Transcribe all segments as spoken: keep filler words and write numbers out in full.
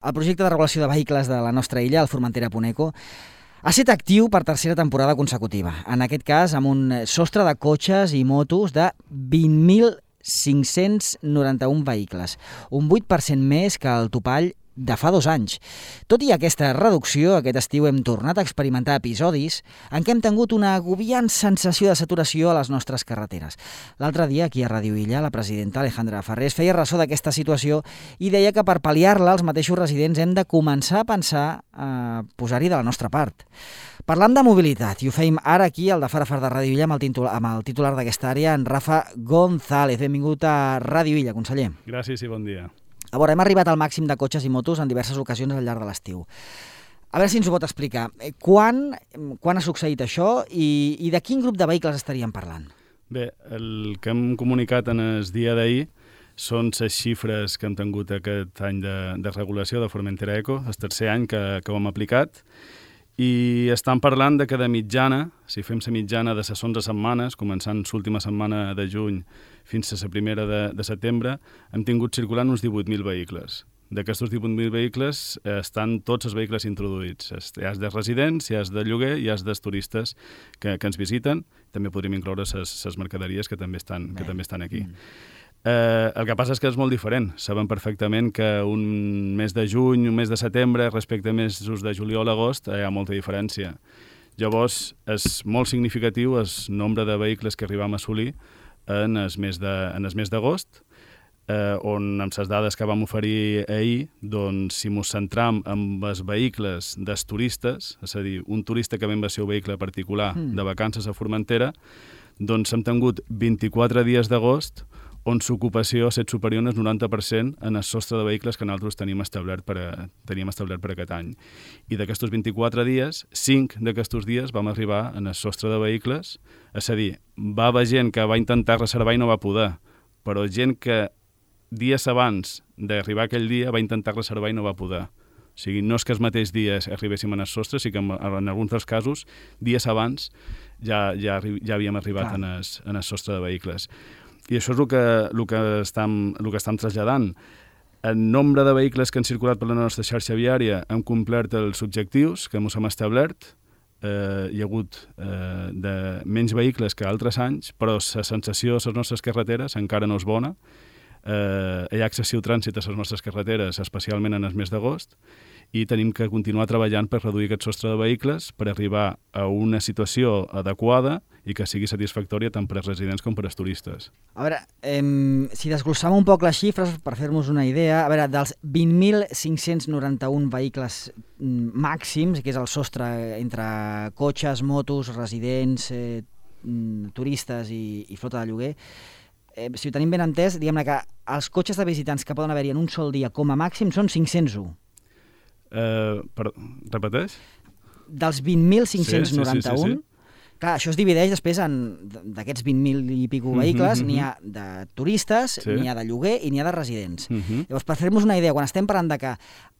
El projecte de regulació de vehicles de la nostra illa, el Formentera Puneco, ha estat actiu per tercera temporada consecutiva. En aquest cas, amb un sostre de cotxes i motos de vint mil cinc-cents noranta-un vehicles, un vuit per cent més que el topall de fa dos anys. Tot i aquesta reducció, aquest estiu hem tornat a experimentar episodis en què hem tingut una agobiant sensació de saturació a les nostres carreteres. L'altre dia, aquí a Ràdio Illa, la presidenta Alejandra Farrés feia ressò d'aquesta situació i deia que per pal·liar-la els mateixos residents hem de començar a pensar a posar-hi de la nostra part. Parlam de mobilitat i ho feim ara aquí al de Fara Far de Ràdio Illa amb el titular, amb el titular d'aquesta àrea, en Rafa González. Benvingut a Ràdio Illa, conseller. Gràcies i bon dia. A veure, hem arribat al màxim de cotxes i motos en diverses ocasions al llarg de l'estiu. A veure si ens ho pot explicar. Quan, quan ha succeït això i, i de quin grup de vehicles estaríem parlant? Bé, el que hem comunicat en el dia d'ahir són les xifres que hem tingut aquest any de, de regulació de Formentera Eco, el tercer any que, que ho hem aplicat, i estan parlant de que de mitjana, si fem la mitjana de les onze setmanes, començant l'última setmana de juny fins a la primera de, de setembre, hem tingut circulant uns divuit mil vehicles. D'aquests divuit mil vehicles eh, estan tots els vehicles introduïts. Hi ha de residents, hi ha de lloguer, hi ha dels turistes que, que ens visiten. També podríem incloure les mercaderies que també estan, que també estan aquí. Mm. Eh, el que passa és que és molt diferent. Sabem perfectament que un mes de juny, un mes de setembre, respecte a mesos de juliol a agost, hi ha molta diferència. Llavors, és molt significatiu el nombre de vehicles que arribam a assolir en el mes de, en el mes d'agost, eh, on amb les dades que vam oferir ahir, doncs, si ens centram en els vehicles dels turistes, és a dir, un turista que ve amb el seu vehicle particular mm. de vacances a Formentera, doncs hem tingut vint-i-quatre dies d'agost on l'ocupació ha estat superior al noranta per cent en el sostre de vehicles que nosaltres tenim establert per, a, teníem establert per aquest any. I d'aquests vint-i-quatre dies, cinc d'aquests dies vam arribar en el sostre de vehicles, és a dir, va haver gent que va intentar reservar i no va poder, però gent que dies abans d'arribar aquell dia va intentar reservar i no va poder. O sigui, no és que els mateixos dies arribéssim en el sostre, sí que en, en alguns dels casos, dies abans ja, ja, ja havíem arribat en el, en el sostre de vehicles. I això és el que, el que, estem, el que estem traslladant. El nombre de vehicles que han circulat per la nostra xarxa viària han complert els objectius que ens hem establert. Eh, hi ha hagut eh, de menys vehicles que altres anys, però la sensació a les nostres carreteres encara no és bona. Eh, hi ha excessiu trànsit a les nostres carreteres, especialment en el mes d'agost, i tenim que continuar treballant per reduir aquest sostre de vehicles per arribar a una situació adequada i que sigui satisfactòria tant per als residents com per als turistes. A veure, eh, si desglossam un poc les xifres per fer-nos una idea, a veure, dels vint mil cinc-cents noranta-un vehicles màxims, que és el sostre entre cotxes, motos, residents, eh, turistes i, i flota de lloguer, eh, si ho tenim ben entès, diguem-ne que els cotxes de visitants que poden haver-hi en un sol dia com a màxim són cinc-cents u. Uh, per, repeteix? Dels vint mil cinc-cents noranta-un, sí, sí, sí, sí. Clar, això es divideix després en d'aquests vint mil i pico vehicles, mm-hmm. n'hi ha de turistes, sí. n'hi ha de lloguer i n'hi ha de residents. Mm-hmm. Llavors, per fer-nos una idea, quan estem parlant de que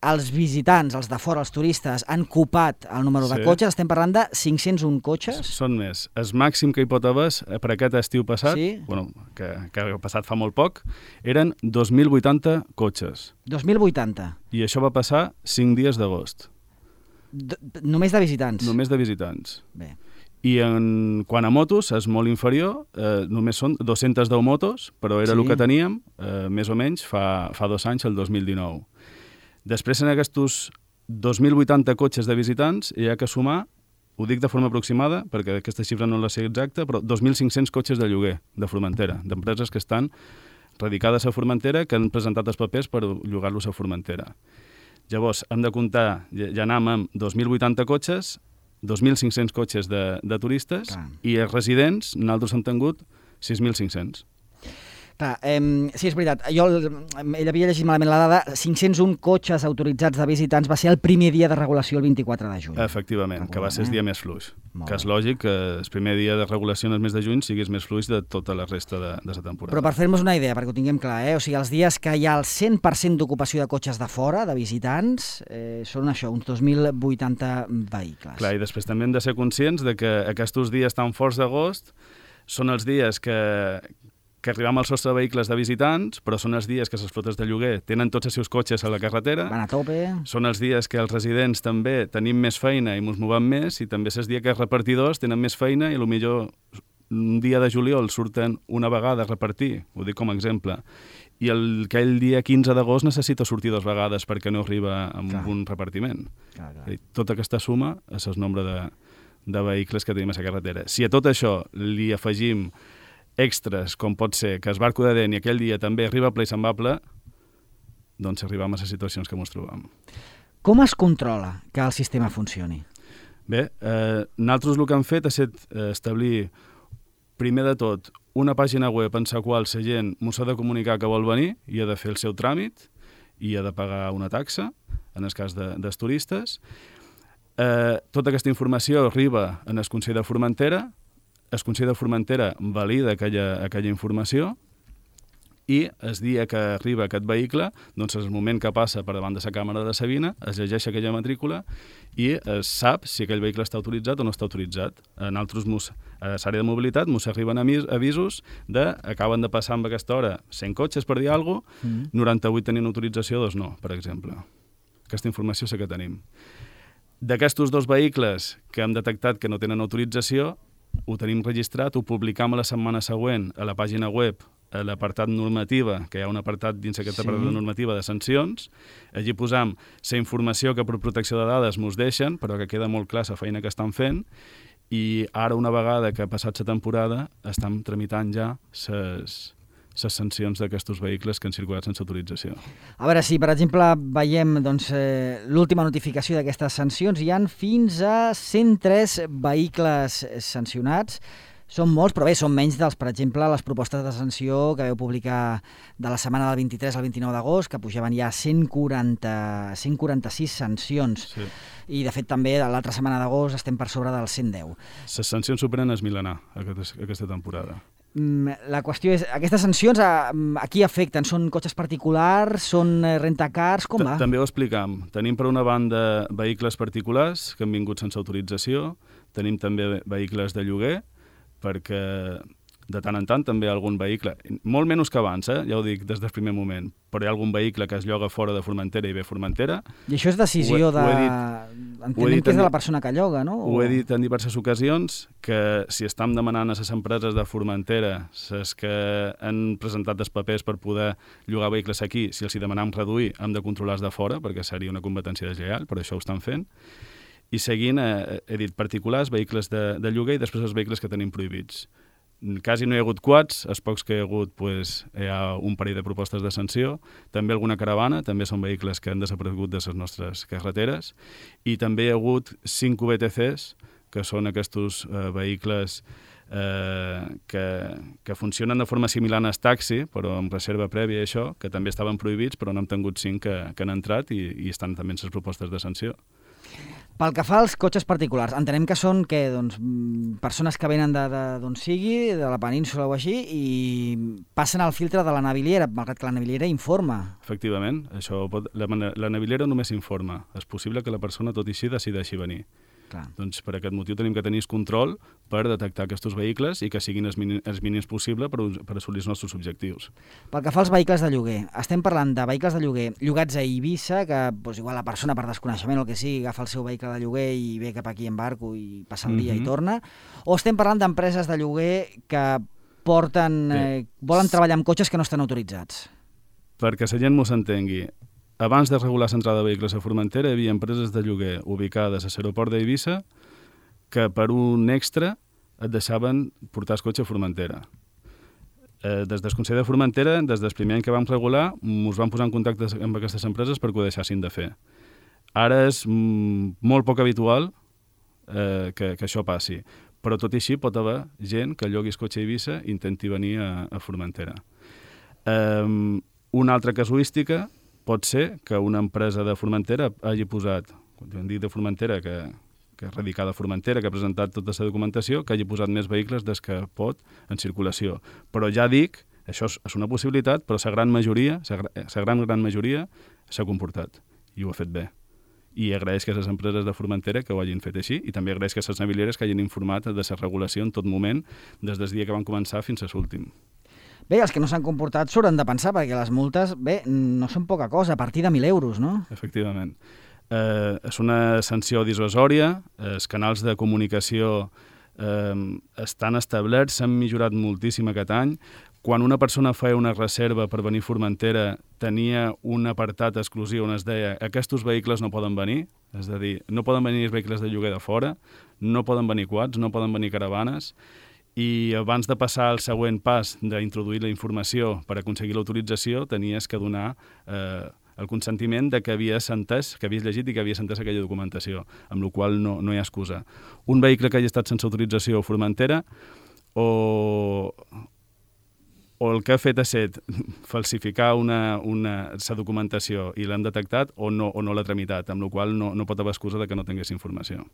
els visitants, els de fora, els turistes, han copat el número sí. de cotxes, estem parlant de cinc-cents u cotxes? Són més. El màxim que hi pot haver per aquest estiu passat, sí? bueno, que, que ha passat fa molt poc, eren dos mil vuitanta cotxes. dos mil vuitanta. I això va passar cinc dies d'agost. Només de visitants? Només de visitants. Bé. I en, quan a motos és molt inferior, eh, només són dos-centes deu motos, però era sí. el que teníem, eh, més o menys, fa, fa dos anys, el dos mil dinou. Després, en aquests dos mil vuitanta cotxes de visitants, hi ha que sumar, ho dic de forma aproximada, perquè aquesta xifra no la sé exacta, però dos mil cinc-cents cotxes de lloguer de Formentera, d'empreses que estan radicades a Formentera, que han presentat els papers per llogar-los a Formentera. Llavors, hem de comptar, ja anem amb dos mil vuitanta cotxes, dos mil cinc-cents cotxes de, de turistes, clar. I els residents, nosaltres hem tingut sis mil cinc-cents. Clar, eh, sí, és veritat. Jo, ell havia llegit malament la dada, cinc-cents u cotxes autoritzats de visitants va ser el primer dia de regulació el vint-i-quatre de juny. Efectivament, Recordem, que va ser el eh? dia més fluix. Molt que és bé. lògic que el primer dia de regulació en el mes de juny siguis més fluix de tota la resta de, de la temporada. Però per fer-nos una idea, perquè ho tinguem clar, eh? O sigui, els dies que hi ha el cent per cent d'ocupació de cotxes de fora, de visitants, eh, són això, uns dos mil vuitanta vehicles. Clar, i després també hem de ser conscients de que aquests dies tan forts d'agost són els dies que que arribam al sostre de vehicles de visitants, però són els dies que les flotes de lloguer tenen tots els seus cotxes a la carretera. Van a tope. Són els dies que els residents també tenim més feina i ens movem més, i també és el dia que els repartidors tenen més feina i potser un dia de juliol surten una vegada a repartir, ho dic com a exemple, i el, aquell dia quinze d'agost necessita sortir dues vegades perquè no arriba amb clar. Un repartiment. Clar, clar. Tota aquesta suma és el nombre de, de vehicles que tenim a la carretera. Si a tot això li afegim extras, com pot ser que el barco de Deni aquell dia també arriba ple i se'n va ple, doncs arribam a les situacions que ens trobam. Com es controla que el sistema funcioni? Bé, eh, nosaltres el que hem fet ha estat eh, establir, primer de tot, una pàgina web en la qual la gent ens ha de comunicar que vol venir i ha de fer el seu tràmit i ha de pagar una taxa, en el cas de, dels turistes. Eh, tota aquesta informació arriba en el Consell de Formentera, el Consell de Formentera valida aquella, aquella informació i el dia que arriba aquest vehicle, doncs és el moment que passa per davant de la càmera de Sabina, es llegeix aquella matrícula i es sap si aquell vehicle està autoritzat o no està autoritzat. En altres, a l'àrea de mobilitat, ens arriben avisos de acaben de passar amb aquesta hora cent cotxes per dir alguna cosa, mm. noranta-vuit tenien autorització, dos no, per exemple. Aquesta informació sí que tenim. D'aquests dos vehicles que hem detectat que no tenen autorització, ho tenim registrat, ho publicam a la setmana següent a la pàgina web, a l'apartat normativa, que hi ha un apartat dins aquest sí. apartat normativa de sancions. Allí posam la informació que per protecció de dades ens deixen, però que queda molt clar la feina que estan fent, i ara, una vegada que ha passat la temporada, estem tramitant ja les les sancions d'aquests vehicles que han circulat sense autorització. A veure, si per exemple veiem doncs, eh, l'última notificació d'aquestes sancions, hi han fins a cent tres vehicles sancionats. Són molts, però bé, són menys dels, per exemple, les propostes de sanció que veu publicar de la setmana del vint-i-tres al vint-i-nou d'agost, que pujaven ja a cent quaranta, cent quaranta-sis sancions. Sí. I, de fet, també de l'altra setmana d'agost estem per sobre dels cent deu. Les sancions superen el milenar aquesta temporada. La qüestió és, aquestes sancions a, a qui afecten? Són cotxes particulars? Són rentacars? Com va? També ho explicam. Tenim per una banda vehicles particulars que han vingut sense autorització, tenim també vehicles de lloguer, perquè de tant en tant també hi ha algun vehicle, molt menys que abans, eh? Ja ho dic des del primer moment, però hi ha algun vehicle que es lloga fora de Formentera i ve a Formentera. I això és decisió ho, de... Ho he dit, Entenem que és de la persona que lloga, no? Ho he dit en diverses ocasions, que si estem demanant a les empreses de Formentera, les que han presentat els papers per poder llogar vehicles aquí, si els hi demanem reduir, hem de controlar-los de fora, perquè seria una competència deslleial, però això ho estan fent. I seguint, eh, he dit particulars, vehicles de, de lloguer i després els vehicles que tenim prohibits. Quasi no hi ha hagut quads, els pocs que hi ha hagut pues, hi ha un parell de propostes de sanció, també alguna caravana, també són vehicles que han desaparegut de les nostres carreteres, i també hi ha hagut cinc V T Cs, que són aquests eh, vehicles eh, que, que funcionen de forma similar al taxi, però amb reserva prèvia i això, que també estaven prohibits, però n'hem tingut cinc que, que han entrat i, i estan també en les propostes de sanció. Pel que fa als cotxes particulars, entenem que són què, doncs, persones que venen d'on sigui, de la península o així, i passen al filtre de la naviliera, malgrat que la naviliera informa. Efectivament, això pot, la, la naviliera només informa. És possible que la persona tot i així decideixi venir. Clar. Doncs per aquest motiu tenim que tenir control per detectar aquests vehicles i que siguin els mínims, els mínims possible per, per assolir els nostres objectius. Pel que fa als vehicles de lloguer, estem parlant de vehicles de lloguer llogats a Eivissa, que doncs, igual la persona per desconeixement o el que sigui agafa el seu vehicle de lloguer i ve cap aquí en barco i passa el dia mm-hmm. i torna, o estem parlant d'empreses de lloguer que porten, eh, volen treballar amb cotxes que no estan autoritzats? Perquè la gent m'ho s'entengui. Abans de regular l'entrada de vehicles a Formentera, hi havia empreses de lloguer ubicades a l'aeroport d'Eivissa que per un extra et deixaven portar el cotxe a Formentera. Eh, des del Consell de Formentera, des del primer any que vam regular, ens vam posar en contacte amb aquestes empreses perquè ho deixassin de fer. Ara és mm, molt poc habitual eh, que, que això passi, però tot i així pot haver gent que llogui el cotxe a Eivissa i intenti venir a, a Formentera. Eh, una altra casuística pot ser que una empresa de Formentera hagi posat, quan dic de Formentera, que, que és radicada a Formentera, que ha presentat tota la documentació, que hagi posat més vehicles des que pot en circulació. Però ja dic, això és, és una possibilitat, però la gran majoria, la gran, gran majoria s'ha comportat i ho ha fet bé. I agraeix que les empreses de Formentera que ho hagin fet així i també agraeix que les navilieres que hagin informat de la regulació en tot moment, des del dia que van començar fins a l'últim. Bé, els que no s'han comportat s'hauran de pensar, perquè les multes, bé, no són poca cosa, a partir de mil euros, no? Efectivament. Eh, és una sanció dissuasòria, els canals de comunicació eh, estan establerts, s'han millorat moltíssim aquest any. Quan una persona feia una reserva per venir a Formentera, tenia un apartat exclusiu on es deia aquests vehicles no poden venir, és a dir, no poden venir els vehicles de lloguer de fora, no poden venir quads, no poden venir caravanes, i abans de passar al següent pas d'introduir la informació per aconseguir l'autorització, tenies que donar eh, el consentiment de que havies entès, que havies llegit i que havies entès aquella documentació, amb la qual no, no hi ha excusa. Un vehicle que hagi estat sense autorització a Formentera o... o el que ha fet ha set falsificar una, una, sa documentació i l'han detectat o no, o no l'ha tramitat, amb la qual no, no pot haver excusa de que no tingués informació.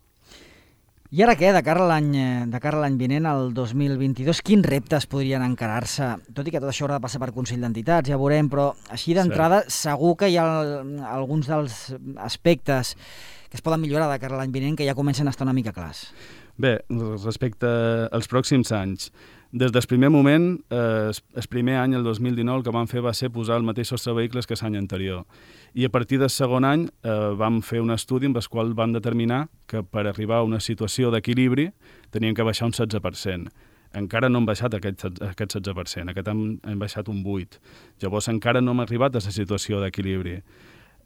I ara què, de cara a l'any de cara a l'any vinent, el dos mil vint-i-dos, quins reptes podrien encarar-se? Tot i que tot això haurà de passar per Consell d'Entitats, ja veurem, però així d'entrada sí. Segur que hi ha alguns dels aspectes que es poden millorar de cara a l'any vinent que ja comencen a estar una mica clars. Bé, respecte als pròxims anys, des del primer moment, eh, el primer any, el dos mil dinou, el que vam fer va ser posar el mateix sostre de vehicles que l'any anterior. I a partir del segon any eh, vam fer un estudi amb el qual vam determinar que per arribar a una situació d'equilibri tenien que baixar un setze per cent. Encara no hem baixat aquest, aquest setze per cent, aquest any hem baixat un vuit per cent. Llavors encara no hem arribat a la situació d'equilibri.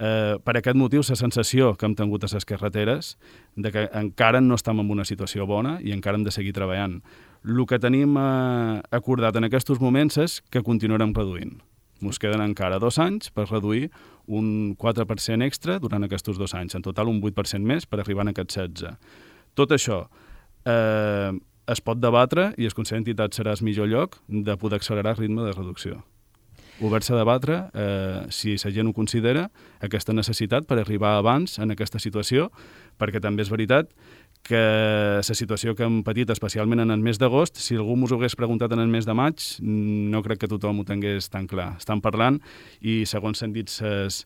Eh, per aquest motiu, la sensació que hem tingut a les carreteres de que encara no estem en una situació bona i encara hem de seguir treballant. El que tenim eh, acordat en aquests moments és que continuarem reduint. Ens queden encara dos anys per reduir un quatre per cent extra durant aquests dos anys. En total, un vuit per cent més per arribar a aquest setze. Tot això eh, es pot debatre i el Consell d'Entitats serà el millor lloc de poder accelerar el ritme de reducció. Obert-se a debatre, eh, si la gent ho considera, aquesta necessitat per arribar abans en aquesta situació, perquè també és veritat que la situació que hem patit, especialment en el mes d'agost, si algú m'ho hagués preguntat en el mes de maig, no crec que tothom ho tingués tan clar. Estan parlant i, segons s'han dit els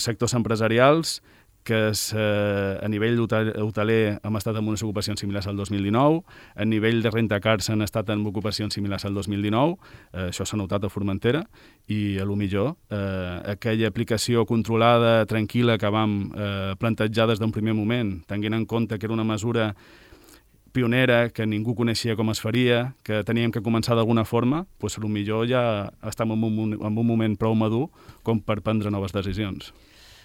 sectors empresarials, que és, eh, a nivell hoteler hem estat amb unes ocupacions similars al dos mil dinou, a nivell de rentacars han estat amb ocupacions similars al dos mil dinou, eh, això s'ha notat a Formentera, i a lo millor eh, aquella aplicació controlada, tranquil·la, que vam eh, plantejar des d'un primer moment, tenint en compte que era una mesura pionera, que ningú coneixia com es faria, que teníem que començar d'alguna forma, doncs potser ja estem en un, en un moment prou madur com per prendre noves decisions.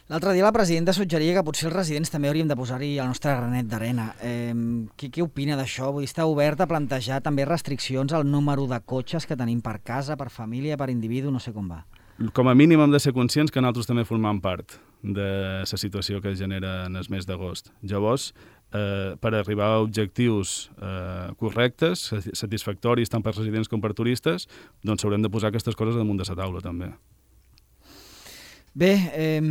L'altre dia la presidenta suggeria que potser els residents també hauríem de posar-hi el nostre granet d'arena. Eh, què, què opina d'això? Vull dir, està obert a plantejar també restriccions al número de cotxes que tenim per casa, per família, per individu, no sé com va. Com a mínim hem de ser conscients que nosaltres també formem part de la situació que es genera en el mes d'agost. Llavors, eh, per arribar a objectius eh, correctes, satisfactoris tant per residents com per turistes, doncs haurem de posar aquestes coses damunt de la taula també. Bé, eh,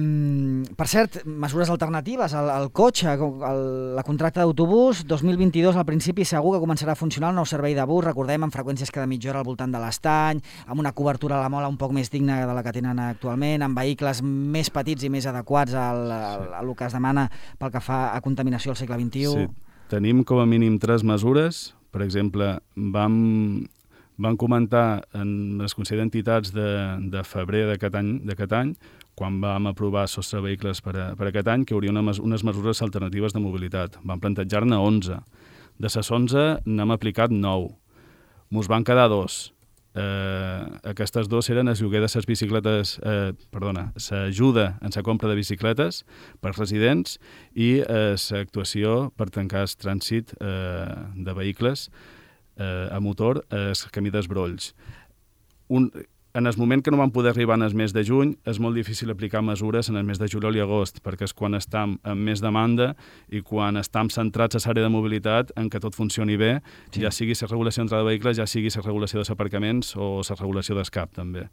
per cert, mesures alternatives al, al cotxe, el, la contracta d'autobús, dos mil vint-i-dos al principi segur que començarà a funcionar el nou servei de bus, recordem, amb freqüències cada mitja hora al voltant de l'Estany, amb una cobertura a la mola un poc més digna de la que tenen actualment, amb vehicles més petits i més adequats al, al, al que es demana pel que fa a contaminació al segle vint-i-u. Sí, tenim com a mínim tres mesures. Per exemple, vam... Van comentar en el Consell d'Entitats de, de febrer d'aquest any, d'aquest any, quan vam aprovar sostre vehicles per, a, per aquest any, que hi hauria una, unes mesures alternatives de mobilitat. Vam plantejar-ne onze. De les onze n'hem aplicat nou. Mos van quedar dos. Eh, aquestes dos eren el lloguer de les bicicletes, eh, perdona, l'ajuda en la compra de bicicletes per residents i l'actuació eh, per tancar el trànsit eh, de vehicles a motor, el camí dels Brolls. Un, en el moment que no vam poder arribar en el mes de juny, és molt difícil aplicar mesures en el mes de juliol i agost, perquè és quan estem amb més demanda i quan estem centrats a l'àrea de mobilitat en que tot funcioni bé, sí. Ja sigui la regulació d'entrada de vehicles, ja sigui la regulació dels aparcaments o la regulació del C A P, també.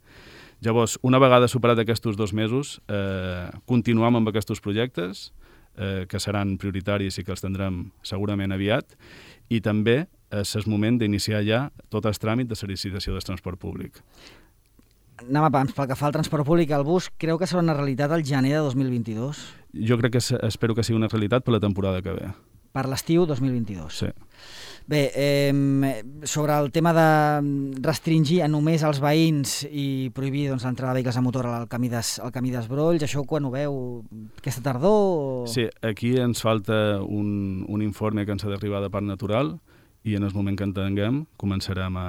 Llavors, una vegada superat aquests dos mesos, eh, continuem amb aquests projectes, eh, que seran prioritaris i que els tindrem segurament aviat, i també és el moment d'iniciar ja tot el tràmit de la licitació del transport públic. Anem a pams, pel que fa al transport públic, el bus creu que serà una realitat al gener de dos mil vint-i-dos? Jo crec que espero que sigui una realitat per la temporada que ve. per l'estiu dos mil vint-i-dos. Sí. Bé, eh, sobre el tema de restringir a només els veïns i prohibir doncs, l'entrada de vehicles a motor al camí, des, al camí d'Esbrolls, això quan ho veu aquesta tardor? O... Sí, aquí ens falta un, un informe que ens ha d'arribar de Parc Natural i en el moment que en tinguem començarem a,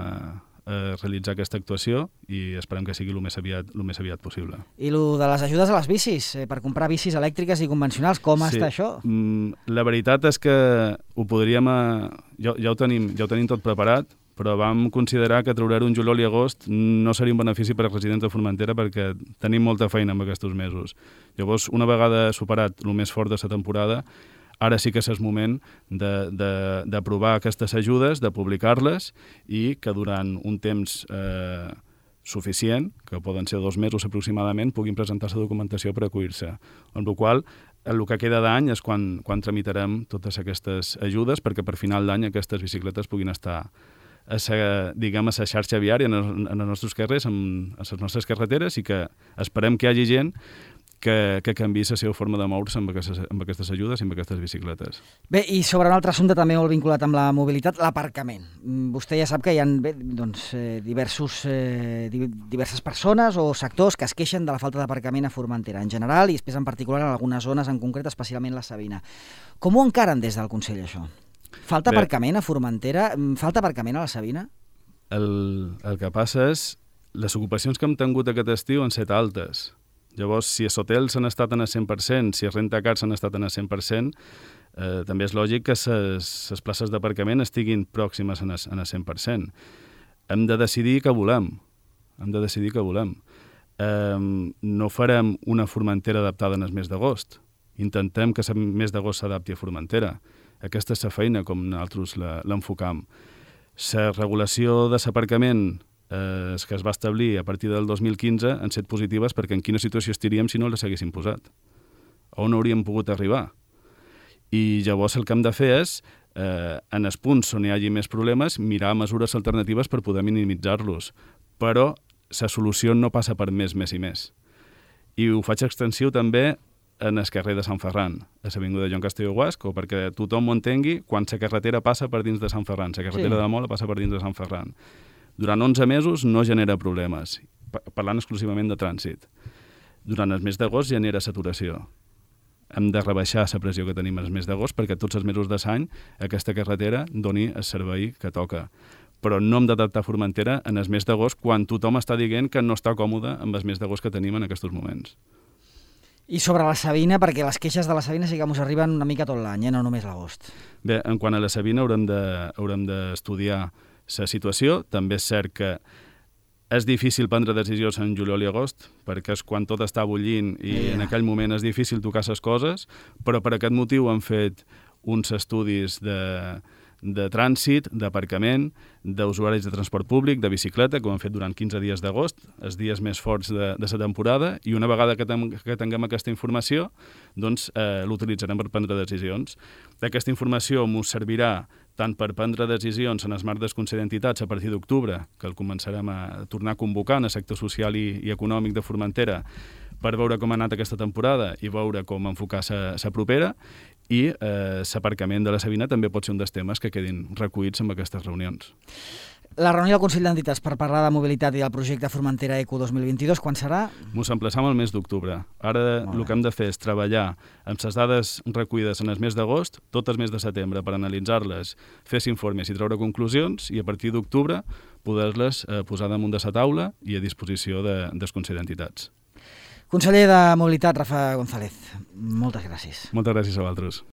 a realitzar aquesta actuació i esperem que sigui el més aviat, el més aviat possible. I el de les ajudes a les bicis, eh, per comprar bicis elèctriques i convencionals, com sí. està això? Mm, la veritat és que ho podríem... A... Ja, ja, ho tenim, ja ho tenim tot preparat, però vam considerar que treure un juliol i agost no seria un benefici per als residents de Formentera perquè tenim molta feina en aquests mesos. Llavors, una vegada superat el més fort de la temporada, ara sí que és el moment d'aprovar aquestes ajudes, de publicar-les i que durant un temps eh, suficient, que poden ser dos mesos aproximadament, puguin presentar la documentació per acollir-se. Amb la qual cosa, el que queda d'any és quan, quan tramitarem totes aquestes ajudes perquè per final d'any aquestes bicicletes puguin estar a la, diguem, a la xarxa viària en, el, en els nostres carrers, en, a les nostres carreteres i que esperem que hi hagi gent que, que canviï la seva forma de moure's amb aquestes, amb aquestes ajudes i amb aquestes bicicletes. Bé, i sobre un altre assumpte també molt vinculat amb la mobilitat, l'aparcament. Vostè ja sap que hi ha bé, doncs, eh, diversos, eh, diverses persones o sectors que es queixen de la falta d'aparcament a Formentera en general i després en particular en algunes zones en concret, especialment la Sabina. Com ho encaren des del Consell, això? Falta bé, aparcament a Formentera? Falta aparcament a la Sabina? El, el que passa és les ocupacions que hem tingut aquest estiu han estat altes. Llavors, si els hotels han estat en el cent per cent, si els rentacars han estat en el cent per cent, eh, també és lògic que les places d'aparcament estiguin pròximes en el, en el cent per cent. Hem de decidir què volem. Hem de decidir què volem. Eh, no farem una Formentera adaptada en el mes d'agost. Intentem que el mes d'agost s'adapti a Formentera. Aquesta és la feina com nosaltres l'enfocam. La regulació de l'aparcament eh, que es va establir a partir del dos mil quinze han set positives perquè en quina situació estaríem si no les haguéssim posat? On hauríem pogut arribar? I llavors el que hem de fer és, eh, en els punts on hi hagi més problemes, mirar mesures alternatives per poder minimitzar-los. Però la solució no passa per més, més i més. I ho faig extensiu també en el carrer de Sant Ferran, a l'avinguda Joan Castelló Guasco, perquè tothom ho entengui quan la carretera passa per dins de Sant Ferran, la carretera sí. de Mola passa per dins de Sant Ferran. Durant onze mesos no genera problemes, parlant exclusivament de trànsit. Durant el mes d'agost genera saturació. Hem de rebaixar la pressió que tenim el mes d'agost perquè tots els mesos de l'any aquesta carretera doni el servei que toca. Però no hem d'adaptar Formentera en el mes d'agost quan tothom està dient que no està còmode amb el mes d'agost que tenim en aquests moments. I sobre la Sabina, perquè les queixes de la Sabina sí que ens arriben una mica tot l'any, eh? No només l'agost. Bé, en quant a la Sabina haurem de, haurem d'estudiar la situació. També és cert que és difícil prendre decisions en juliol i agost, perquè és quan tot està bullint i yeah. en aquell moment és difícil tocar les coses, però per aquest motiu han fet uns estudis de, de trànsit, d'aparcament, d'usuaris de transport públic, de bicicleta, que ho han fet durant quinze dies d'agost, els dies més forts de, de la temporada, i una vegada que, ten, que tinguem aquesta informació, doncs eh, l'utilitzarem per prendre decisions. Aquesta informació ens servirà tant per prendre decisions en el marc del Consell d'Entitats a partir d'octubre, que el començarem a tornar a convocar en el sector social i, i econòmic de Formentera, per veure com ha anat aquesta temporada i veure com enfocar la propera, i eh, l'aparcament de la Sabina també pot ser un dels temes que quedin recollits en aquestes reunions. La reunió del Consell d'Entitats per parlar de mobilitat i del projecte Formentera Eco dos mil vint-i-dos, quan serà? Ens emplaçam al mes d'octubre. Ara el que hem de fer és treballar amb les dades recollides en el mes d'agost, tot el mes de setembre, per analitzar-les, fer informes i treure conclusions, i a partir d'octubre poder-les eh, posar damunt de la taula i a disposició de, del Consell d'Entitats. Conseller de Mobilitat, Rafa González, moltes gràcies. Moltes gràcies a vosaltres.